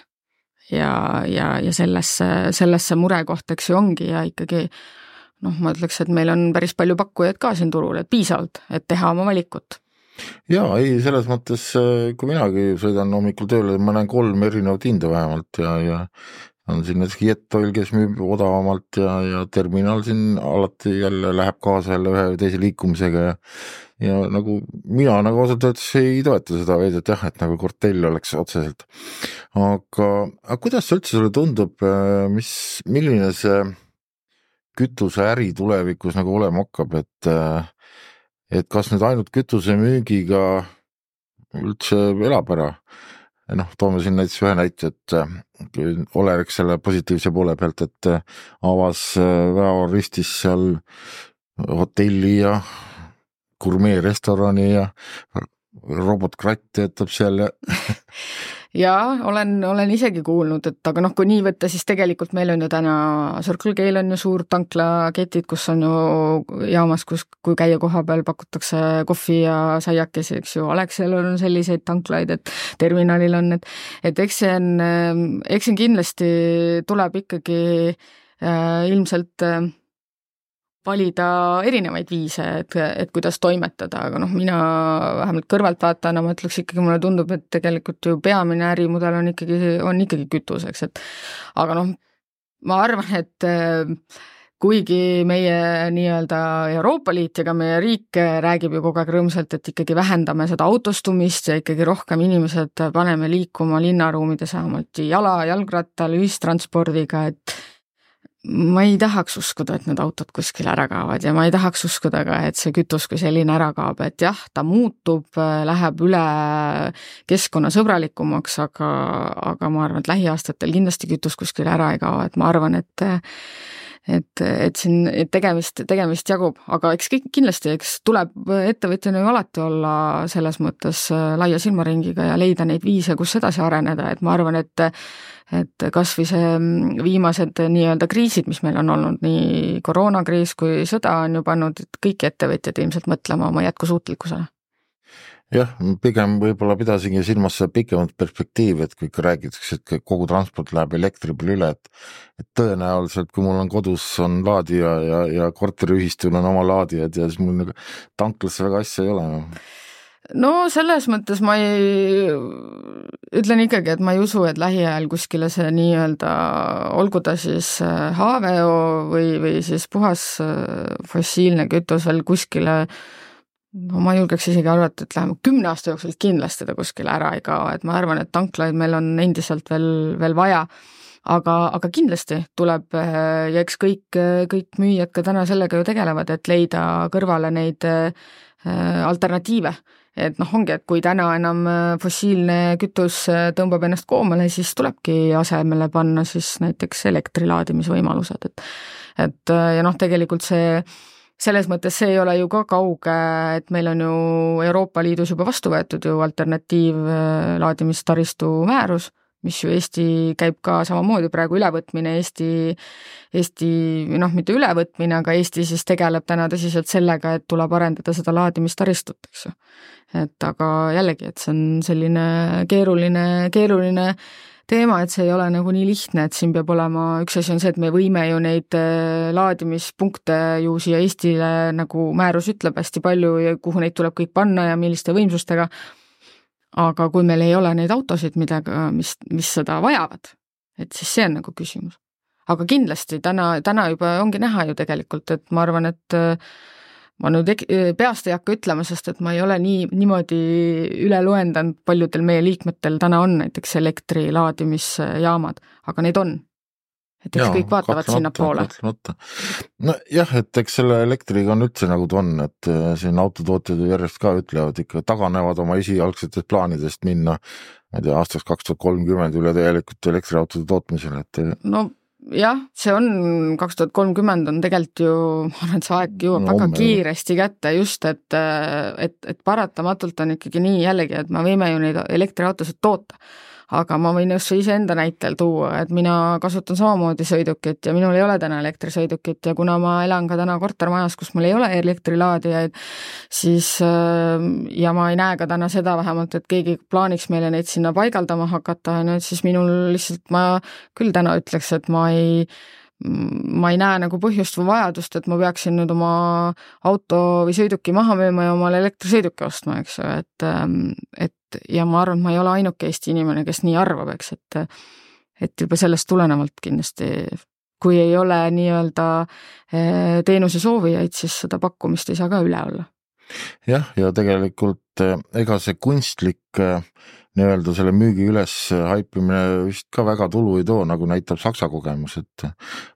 S3: ja, ja, ja sellesse, sellesse murekoht, eks ju ongi ja ikkagi noh, ma ütleks, et meil on päris palju pakkujaid ka siin turul, et piisavalt, et teha oma valikut.
S2: Jaa, ei, selles mõttes, kui minagi sõidan hommikul tööle, ma näen kolm erinevat hinda vähemalt ja, ja on siin näiteks Jetoil, kes müüb odavamalt ja, ja terminal siin alati jälle läheb kaasa jälle ühe või teise liikumisega ja, ja nagu mina nagu osalt öeldes ei toeta seda veedet jah, et nagu kortell oleks otseselt. Aga, aga kuidas see üldse sulle tundub, mis, milline see kütuseäri tulevikus nagu olema hakkab, et, et kas nüüd ainult kütuse müügiga üldse elab ära? Noh, toome siin näiteks ühe näite, et Olerex selle positiivse poole pealt, et avas Väo-Ristis seal hotelli ja gurmee-restorani ja robotkratt töötab seal ja
S3: Jaa, olen, olen isegi kuulnud, et aga noh, kui nii võtta, siis tegelikult meil on ju täna Circle K-l on ju suur tanklaketid, kus on ju jaamas, kus, kui käia koha peal, pakutakse kohvi ja saiakesi, eks ju, Alexel on selliseid tanklaid, et terminalil on, et, et eks see on, eks see kindlasti tuleb ikkagi äh, ilmselt äh, valida erinevaid viise, et, et kuidas toimetada, aga noh, mina vähemalt kõrvalt vaatana, ma ütleks ikkagi, mulle tundub, et tegelikult ju peamine ärimudel on ikkagi, on ikkagi kütuseks, et aga noh, ma arvan, et kuigi meie nii-öelda Euroopa Liit ja ka meie riik räägib ju kogu aeg rõõmsalt, et ikkagi vähendame seda autostumist ja ikkagi rohkem inimesed paneme liikuma linnaruumides vähemalt jala, jalgrattal, ühistranspordiga, et ma ei tahaks uskuda, et need autod kuskil ära kaovad ja ma ei tahaks uskuda ka, et see kütus kui selline ära kaob, et jah, ta muutub, läheb üle keskkonnasõbralikumaks, aga, aga ma arvan, et lähiaastatel kindlasti kütus kuskil ära ei kao, et ma arvan, et et, et siin et tegemist, tegemist jagub, aga eks kindlasti, eks tuleb ettevõtjana ju alati olla selles mõttes laia silmaringiga ja leida neid viise, kus edasi areneda, et ma arvan, et et kas või see viimased nii-öelda kriisid, mis meil on olnud, nii koroonakriis kui sõda on ju pannud kõik ettevõtjad ilmselt mõtlema oma jätkusuutlikkusele.
S2: Jah, pigem võib-olla pidasingi silmas pikemat perspektiivi, et kui ikka räägitakse, et kogu transport läheb elektri peale üle, et, et tõenäoliselt, kui mul on kodus on laadija ja, ja korteriühistul on oma laadijad ja siis mul nagu tanklasse väga asja ei ole.
S3: No selles mõttes ma ei, ütlen ikkagi, et ma ei usu, et lähiajal kuskile see nii-öelda, olgu ta siis H V O või, või siis puhas fossiilne kütus veel kuskile, no ma julgeks isegi arvata, et läheme kümne aasta jooksul kindlasti ta kuskile ära ei kao, et ma arvan, et tanklaid meil on endiselt veel, veel vaja, aga, aga kindlasti tuleb ja eks kõik, kõik müüjad ka täna sellega ju tegelevad, et leida kõrvale neid alternatiive. Et noh, ongi, et kui täna enam fossiilne kütus tõmbab ennast koomale, siis tulebki asemele panna siis näiteks elektrilaadimisvõimalused. Et, et ja noh, tegelikult see selles mõttes see ei ole ju ka kauge, et meil on ju Euroopa Liidus juba vastu võetud ju alternatiivlaadimistaristu määrus, mis ju Eesti käib ka samamoodi praegu ülevõtmine, Eesti, Eesti, noh, mitte ülevõtmine, aga Eesti siis tegeleb täna tõsiselt sellega, et tuleb arendada seda laadimistaristut, eks ju. Et aga jällegi, et see on selline keeruline, keeruline teema, et see ei ole nagu nii lihtne, et siin peab olema, üks asi on see, et me võime ju neid laadimispunkte ju siia Eestile, nagu määrus ütleb, hästi palju ja kuhu neid tuleb kõik panna ja milliste võimsustega, aga kui meil ei ole neid autosid, midagi, mis, mis seda vajavad, et siis see on nagu küsimus. Aga kindlasti täna, täna juba ongi näha ju tegelikult, et ma arvan, et ma nüüd peast ei hakka ütlema, sest et ma ei ole nii, niimoodi üle loendanud, paljudel meie liikmetel täna on näiteks elektrilaadimisjaamad, aga neid on. Et eks Jaa, kõik vaatavad sinna poole.
S2: No jah, et eks selle elektriga on üldse nagu ta on, et siin autotootjad järjest ka ütlevad ikka, taganevad oma esialgsetest plaanidest minna, ma ei tea, aastaks kaks tuhat kolmkümmend üle täielikult elektriautode tootmisele. Et...
S3: No jah, see on kaks tuhat kolmkümmend on tegelikult ju, ma arvan, et see aeg jõuab no, väga kiiresti kätte just, et, et, et paratamatult on ikkagi nii jällegi, et me võime ju neid elektriautosid toota, aga ma võin just ise enda näitel tuua, et mina kasutan samamoodi sõidukit ja minul ei ole täna elektrisõidukit ja kuna ma elan ka täna kortermajas, kus mul ei ole elektrilaadijaid, siis ja ma ei näe ka täna seda vähemalt, et keegi plaaniks meile neid sinna paigaldama hakata, siis minul lihtsalt ma küll täna ütleks, et ma ei ma ei näe nagu põhjust või vajadust, et ma peaksin nüüd oma auto või sõiduki maha müüma ja omale elektrisõiduki ostma, eks ju, et, et ja ma arvan, et ma ei ole ainuke Eesti inimene, kes nii arvab, eks, et, et juba sellest tulenevalt kindlasti, kui ei ole nii-öelda teenuse soovijaid, siis seda pakkumist ei saa ka üle olla.
S2: Jah, ja tegelikult ega see kunstlik nii-öelda selle müügi üles haipimine vist ka väga tulu ei too, nagu näitab Saksa kogemus, et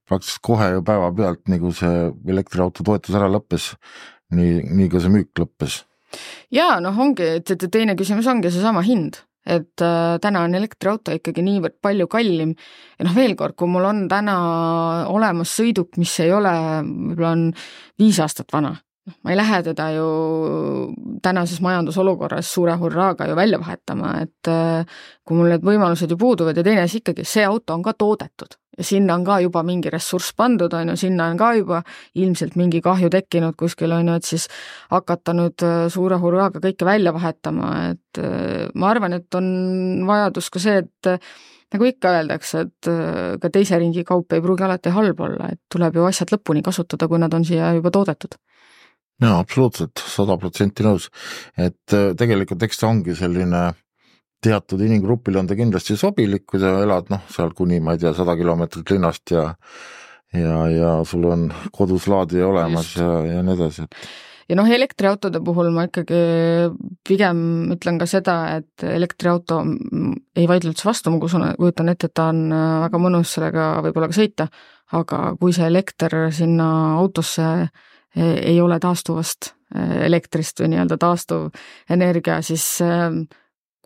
S2: praktiliselt kohe ju päeva pealt, nagu see elektriauto toetus ära lõppes, nii, nii ka see müük lõppes. Jaa,
S3: noh ongi, et teine küsimus ongi see sama hind, et äh, täna on elektriauto ikkagi niivõrd palju kallim ja noh veel kord, kui mul on täna olemas sõiduk, mis ei ole, võib-olla on viis aastat vana, ma ei lähe teda ju tänases majandusolukorras suure hurraaga ju välja vahetama, et kui mul need võimalused ju puuduvad ja teine asi ikkagi, see auto on ka toodetud ja sinna on ka juba mingi ressurss pandud, on ju, sinna on ka juba ilmselt mingi kahju tekkinud kuskil, on ju, et siis hakata nüüd suure hurraaga kõike välja vahetama, et ma arvan, et on vajadus ka see, et nagu ikka öeldakse, et ka teise ringi kaup ei pruugi alati halb olla, et tuleb ju asjad lõpuni kasutada, kui nad on siia juba toodetud.
S2: Jaa, absoluutselt, sada protsenti nõus, et tegelikult eks ta ongi selline teatud inimgrupil on ta kindlasti sobilik, kui sa elad noh, seal kuni, ma ei tea, sada kilomeetrit linnast ja ja, ja sul on kodus laadija olemas Just. ja, ja nii edasi.
S3: Ja noh, elektriautode puhul ma ikkagi pigem ütlen ka seda, et elektriauto ei vaidle üldse vastu, ma kujutan ette, et ta on väga mõnus sellega võib-olla ka sõita, aga kui see elekter sinna autosse ei ole taastuvast elektrist või nii-öelda taastuv energia, siis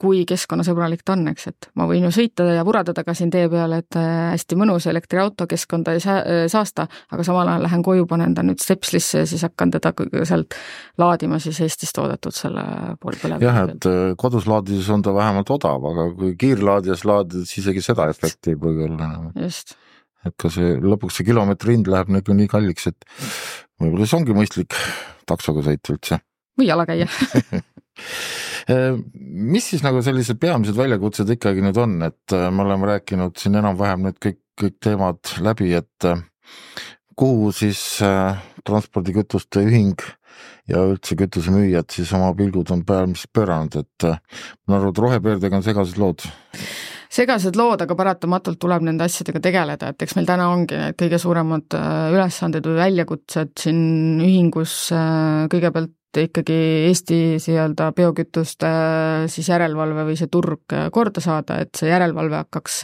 S3: kui keskkonnasõbralik ta on, eks, et ma võin ju sõita ja puradada ka siin tee peale, et hästi mõnus elektriauto, keskkonda ei saasta, aga samal ajal lähen koju, panen ta nüüd stepslisse ja siis hakkan teda sealt laadima siis Eestis toodetud selle pool põlev.
S2: Jah, et kodus laadides on ta vähemalt odav, aga kui kiirlaadijas laadides isegi seda efekti ei pruugi olla.
S3: Just.
S2: Et ka see lõpuks see kilomeetri hind läheb nagu nii kalliks, et võib-olla see ongi mõistlik taksoga sõita üldse.
S3: Või jala käia.
S2: Mis siis nagu sellised peamised väljakutsed ikkagi nüüd on, et me oleme rääkinud siin enam-vähem nüüd kõik, kõik teemad läbi, et kuhu siis transpordikütuste ühing ja üldse kütusemüüjad siis oma pilgud on pealmiselt pööranud, et ma arvan, et rohepöördega on segased lood.
S3: Segased lood, aga paratamatult tuleb nende asjadega tegeleda, et eks meil täna ongi need kõige suuremad ülesanded või väljakutsed siin ühingus kõigepealt ikkagi Eesti nii-öelda biokütuste siis järelevalve või see turg korda saada, et see järelevalve hakkaks,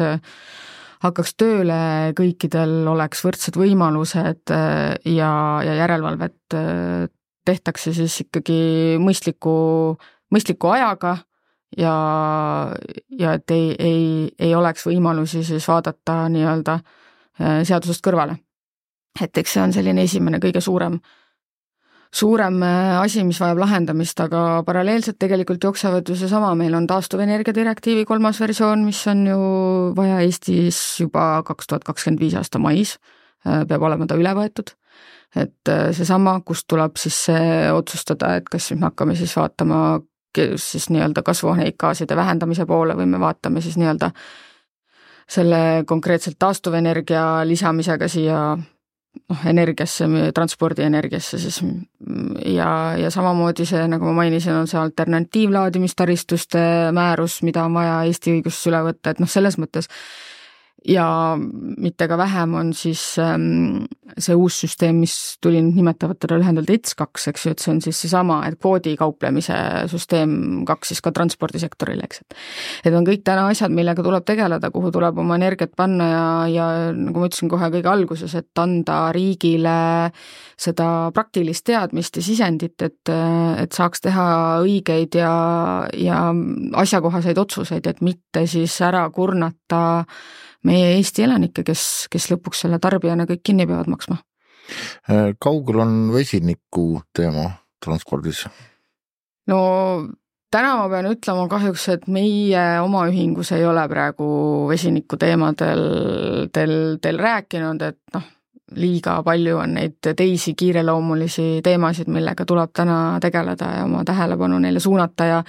S3: hakkaks tööle, kõikidel oleks võrdsed võimalused ja, ja järelevalvet tehtakse siis ikkagi mõistliku, mõistliku ajaga ja, ja et ei, ei, ei oleks võimalusi siis vaadata nii-öelda seadusest kõrvale. Et eks see on selline esimene kõige suurem suurem asi, mis vajab lahendamist, aga paralleelselt tegelikult jooksevad ju seesama, meil on taastuvenergia direktiivi kolmas versioon, mis on ju vaja Eestis juba kaks tuhat kakskümmend viis aasta mais, peab olema ta üle võetud. Et seesama, kust tuleb siis see otsustada, et kas me hakkame siis vaatama siis nii-öelda kasvuhoonegaaside vähendamise poole või me vaatame siis nii-öelda selle konkreetselt taastuvenergia lisamisega siia noh, energiasse, transpordienergiasse siis ja, ja samamoodi see, nagu ma mainisin, on see alternatiivlaadimistaristuste määrus, mida on vaja Eesti õiguses üle võtta, et noh, selles mõttes ja mitte ka vähem on siis ähm, see uus süsteem, mis tuli nimetavad teda lühendalt E T S kaks, eks ju, et see on siis seesama, et kvoodi kauplemise süsteem kaks siis ka transpordisektorile, eks. Et on kõik täna asjad, millega tuleb tegeleda, kuhu tuleb oma energiat panna ja, ja nagu ma ütlesin kohe kõige alguses, et anda riigile seda praktilist teadmist ja sisendit, et, et saaks teha õigeid ja, ja asjakohaseid otsuseid, et mitte siis ära kurnata meie Eesti elanikke, kes, kes lõpuks selle tarbijana kõik kinni peavad maksma.
S2: Kaugel on vesiniku teema transpordis?
S3: No täna ma pean ütlema kahjuks, et meie oma ühingus ei ole praegu vesiniku teemadel teil, teil rääkinud, et noh, liiga palju on neid teisi kiireloomulisi teemasid, millega tuleb täna tegeleda ja oma tähelepanu neile suunata ja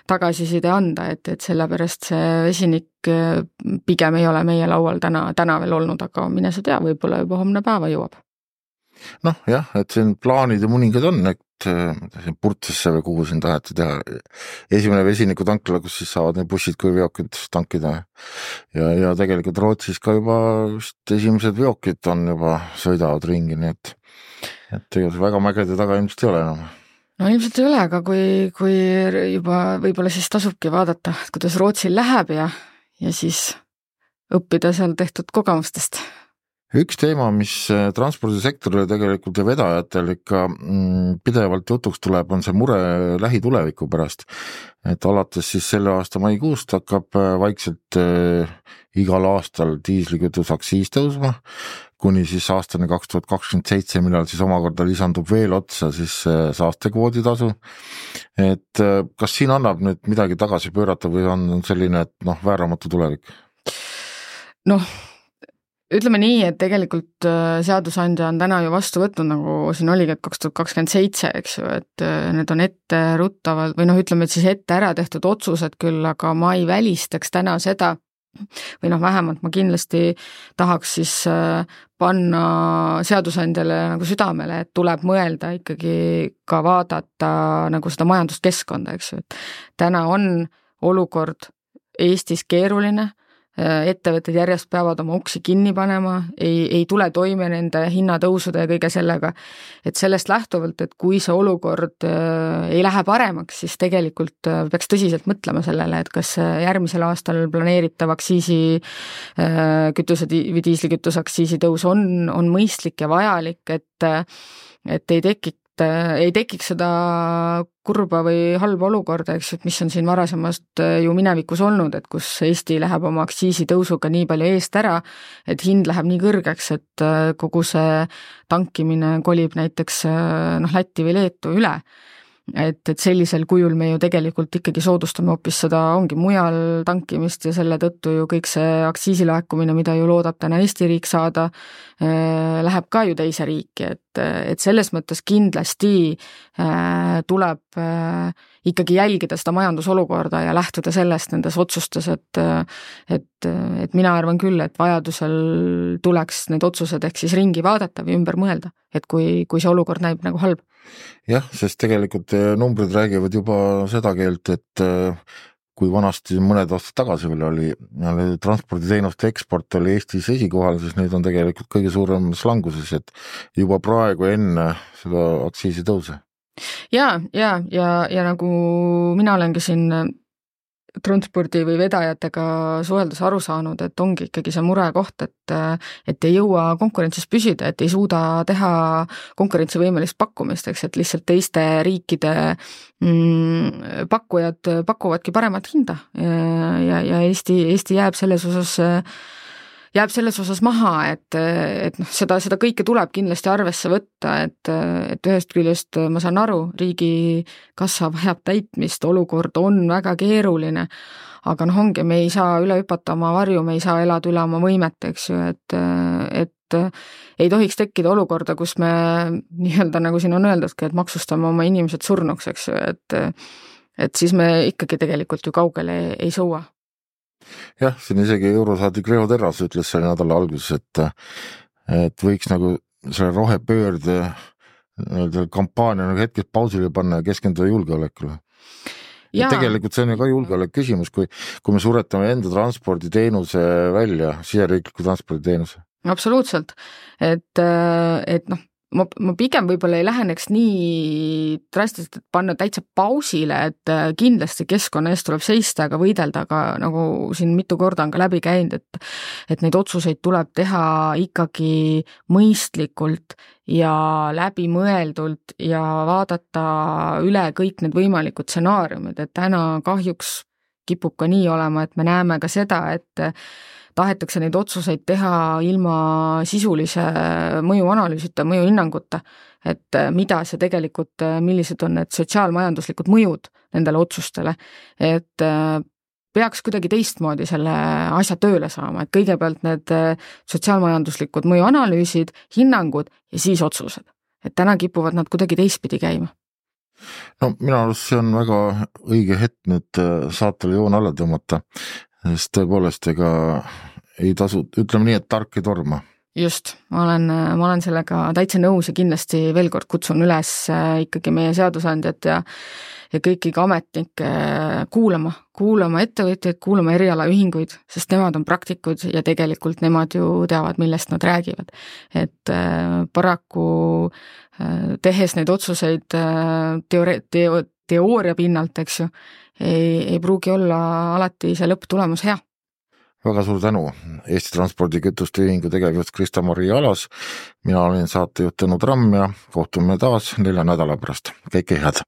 S3: tagasiside anda, et, et sellepärast see vesinik pigem ei ole meie laual täna, täna veel olnud, aga mine sa tea, võib-olla juba homne päeva jõuab.
S2: Noh jah, et siin plaanid ja mõningad on, et Purtsesse või kuhu siin taheti teha esimene vesiniku tankla, kus siis saavad need bussid kui veokid tankida ja, ja tegelikult Rootsis ka juba just esimesed veokid on juba sõidavad ringi, nii et, et tegelikult väga mägede taga ilmselt ei ole enam.
S3: No ilmselt ei ole, aga kui, kui juba võib-olla siis tasubki vaadata, kuidas Rootsil läheb ja, ja siis õppida seal tehtud kogemustest.
S2: Üks teema, mis transpordisektorile tegelikult ja vedajatel ikka pidevalt jutuks tuleb, on see mure lähituleviku pärast. Et alates siis selle aasta maikuust hakkab vaikselt igal aastal diislikütus aktsiis tõusma, kuni siis aastane kaks tuhat kakskümmend seitse, millal siis omakorda lisandub veel otsa siis saastekvoodi tasu. Et kas siin annab nüüd midagi tagasi pöörata või on selline, et noh, vääramatu tulevik?
S3: Noh, ütleme nii, et tegelikult seadusandja on täna ju vastu võtnud, nagu siin oligi, et kaks tuhat kakskümmend seitse, eks ju, et need on ette ruttavad või noh, ütleme, et siis ette ära tehtud otsused küll, aga ma ei välistaks täna seda, või noh, vähemalt ma kindlasti tahaks siis panna seadusandjale nagu südamele, et tuleb mõelda ikkagi ka vaadata nagu seda majanduskeskkonda, eks ju, et täna on olukord Eestis keeruline, ettevõtted järjest peavad oma uksi kinni panema, ei, ei tule toime nende hinnatõusude ja kõige sellega, et sellest lähtuvalt, et kui see olukord ei lähe paremaks, siis tegelikult peaks tõsiselt mõtlema sellele, et kas järgmisel aastal planeeritav aktsiisi kütuse või diislikütuse aktsiisi tõus on, on mõistlik ja vajalik, et, et ei tekiks ei tekiks seda kurba või halba olukorda, eks, et mis on siin varasemast ju minevikus olnud, et kus Eesti läheb oma aktsiisi tõusuga nii palju eest ära, et hind läheb nii kõrgeks, et kogu see tankimine kolib näiteks noh, Lätti või Leetu üle. Et, et sellisel kujul me ju tegelikult ikkagi soodustame hoopis seda ongi mujal tankimist ja selle tõttu ju kõik see aktsiisilaekumine, mida ju loodab täna Eesti riik saada, läheb ka ju teise riiki, et, et selles mõttes kindlasti tuleb ikkagi jälgida seda majandusolukorda ja lähtuda sellest nendes otsustes, et, et, et mina arvan küll, et vajadusel tuleks need otsused ehk siis ringi vaadata või ümber mõelda, et kui, kui see olukord näib nagu halb.
S2: Jah, sest tegelikult numbrid räägivad juba seda keelt, et kui vanasti mõned aastad tagasi veel oli, oli transporditeenuste eksport oli Eestis esikohal, siis nüüd on tegelikult kõige suurem languses, et juba praegu enne seda aktsiisi tõuse.
S3: Ja, ja, ja, ja nagu mina olengi siin transpordi või vedajatega suheldus aru saanud, et ongi ikkagi see mure koht, et, et ei jõua konkurentsis püsida, et ei suuda teha konkurentsivõimelist pakkumist, eks, et lihtsalt teiste riikide mm, pakkujad pakuvadki paremat hinda ja, ja Eesti, Eesti jääb selles osas jääb selles osas maha, et, et noh, seda, seda kõike tuleb kindlasti arvesse võtta, et, et ühest küljest ma saan aru, riigi kassa vajab täitmist, olukord on väga keeruline, aga noh, ongi, me ei saa üle hüpata oma varju, me ei saa elada üle oma võimet, eks ju, et, et ei tohiks tekkida olukorda, kus me nii-öelda, nagu siin on öeldudki, et maksustame oma inimesed surnuks, eks ju, et, et siis me ikkagi tegelikult ju kaugele ei, ei sõua.
S2: Jah, siin isegi eurosaadik Riho Terras ütles selle nädala alguses, et, et võiks nagu selle rohepöörde kampaania nagu hetkest pausile panna ja keskenduda julgeolekule. Ja tegelikult see on ju ka julgeolek küsimus, kui, kui me suretame enda transporditeenuse välja, siseriikliku transporditeenuse.
S3: Absoluutselt, et, et noh, ma, ma pigem võib-olla ei läheneks nii drastiliselt, et panna täitsa pausile, et kindlasti keskkonna eest tuleb seista, aga võidelda, aga nagu siin mitu korda on ka läbi käinud, et, et neid otsuseid tuleb teha ikkagi mõistlikult ja läbimõeldult ja vaadata üle kõik need võimalikud stsenaariumid, et täna kahjuks kipub ka nii olema, et me näeme ka seda, et tahetakse neid otsuseid teha ilma sisulise mõjuanalüüsita, mõjuhinnanguta, et mida see tegelikult, millised on need sotsiaalmajanduslikud mõjud nendele otsustele, et peaks kuidagi teistmoodi selle asja tööle saama, et kõigepealt need sotsiaalmajanduslikud mõjuanalüüsid, hinnangud ja siis otsused. Et täna kipuvad nad kuidagi teistpidi käima.
S2: No mina arust see on väga õige hetk nüüd saatele joon alla tõmmata, sest tõepoolest ega ei tasu, ütleme nii, et tark ei torma.
S3: Just, ma olen, ma olen sellega täitsa nõus ja kindlasti veel kord kutsun üles ikkagi meie seadusandjad ja, ja kõiki ametnikke kuulama, kuulama ettevõtjaid, kuulama erialaühinguid, sest nemad on praktikud ja tegelikult nemad ju teavad, millest nad räägivad. Et paraku tehes neid otsuseid teoori- teo, teooria pinnalt, eks ju, ei, ei pruugi olla alati see lõpptulemus hea.
S2: Väga suur tänu, Eesti Transpordi Kütuste Ühingu tegevjuht Krista-Maria Alas, mina olin saatejuht Tõnu Tramm ja kohtume taas nelja nädala pärast. Kõike head!